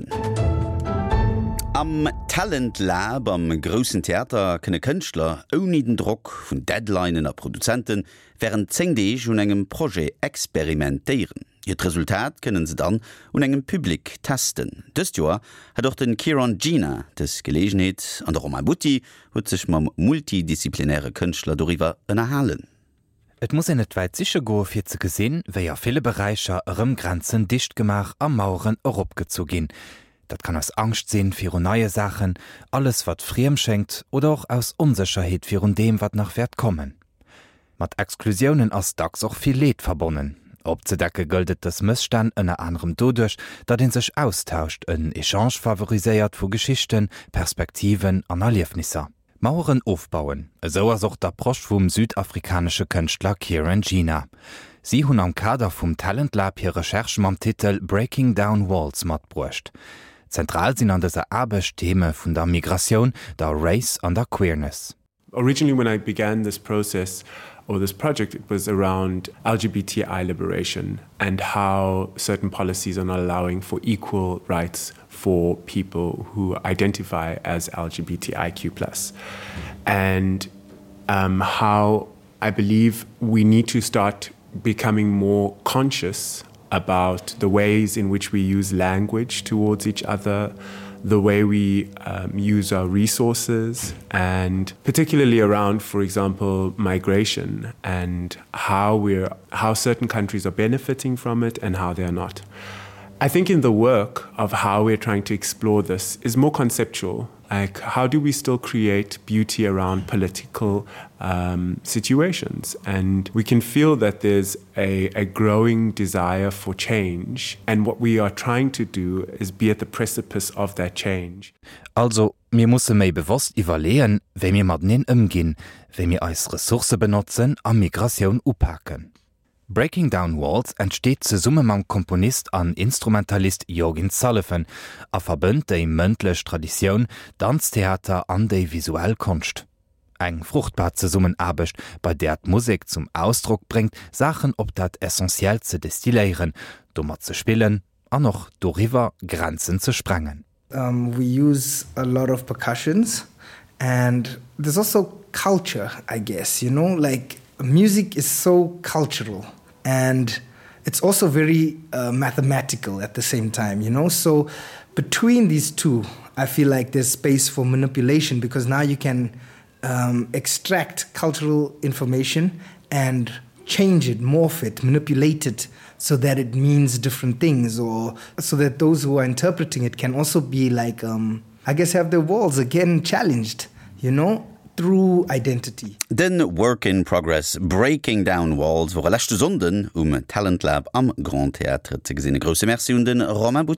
bleiwen. Am Talent Lab am Groussen Theater kënne Kënschtler ouni den Drock vun Deadlinen a Produzente wärend 10 Deeg un engem Projet experimentéieren. Hiert Resultat kënnen se dann un engem Public testen. Dëst Joer hat och de Kieron Gina dës Geleegenheet an de Romain Butti huet sech mam multidisziplinäre Kënschtler doriwwer ënnerhalen. Et muss een net wäit siche goe fir ze gesinn, wéi a ville Beräicher erëm Grenzen dicht gemaach a Maueren eropgezu ginn. Dat kann aus Angscht sinn virun neie Saachen, alles wat friem schéngt, oder och aus Onsécherheet virun deem wat nach wäert kommen. Mat Exklusiounen ass dacks och vill Leed verbonnen. Opzedecke gëllt et dës Mësstänn ënner anerem doduerch, datt ee sech austauscht, en Echange favoriséiert vu Geschichten, Perspektiven an Erliefnisser. Maueren ofbauen, esou ass och d'Approche vum südafrikanesche Kënschtler Kieran Gina. Si hunn am Kader vum Talent Lab hir Recherche mam Titel Breaking Down Walls matbruecht. Zentral sinn an dëser Aarbecht d'Theme vun der Migratioun, der Race an der Queerness. Originally when I began this process or this project it was around LGBTI liberation and how certain policies are not allowing for equal rights for people who identify as LGBTIQ plus and um, how I believe we need to start becoming more conscious about the ways in which we use language towards each other, the way we um, use our resources and particularly around, for example, migration and how we're how certain countries are benefiting from it and how they are not. I think in the work of how we're trying to explore this is more conceptual. Like how do we still create beauty around political um, situations? And we can feel that there's a, a growing desire for change. And what we are trying to do is be at the precipice of that change. Also mir musse méi bewosst iwwerleeën, wéi mir mateneen ëmginn, wéi mir eis Ressourcë benotzen a Migratioun upaken. Breaking Down Walls entsteet zesumme mam Komponist an Instrumentalist Jorgin Sullivan a verbënnt déi mëndlech Traditioun, Danztheater an déi visuell Konscht. Eng fruchtbar Zesummenaarbecht, bei där d'Musek zum Ausdrock bréngt, Saachen op dat Essentiellt ze destilléieren, domat ze spillen an och doriwwer Grenzen ze sprengen. Um, we use a lot of percussions and there's also culture, I guess, you know, like music is so cultural and it's also very uh, mathematical at the same time, you know. So between these two, I feel like there's space for manipulation because now you can um, extract cultural information and change it, morph it, manipulate it so that it means different things or so that those who are interpreting it can also be like um, I guess have their walls again challenged, you know, through identity. Den Work in Progress Breaking Down Walls wor e leschte Sonnden um Talent Lab am Grand Théâtre ze gesinn. E grousse Merci un de Romain Butti.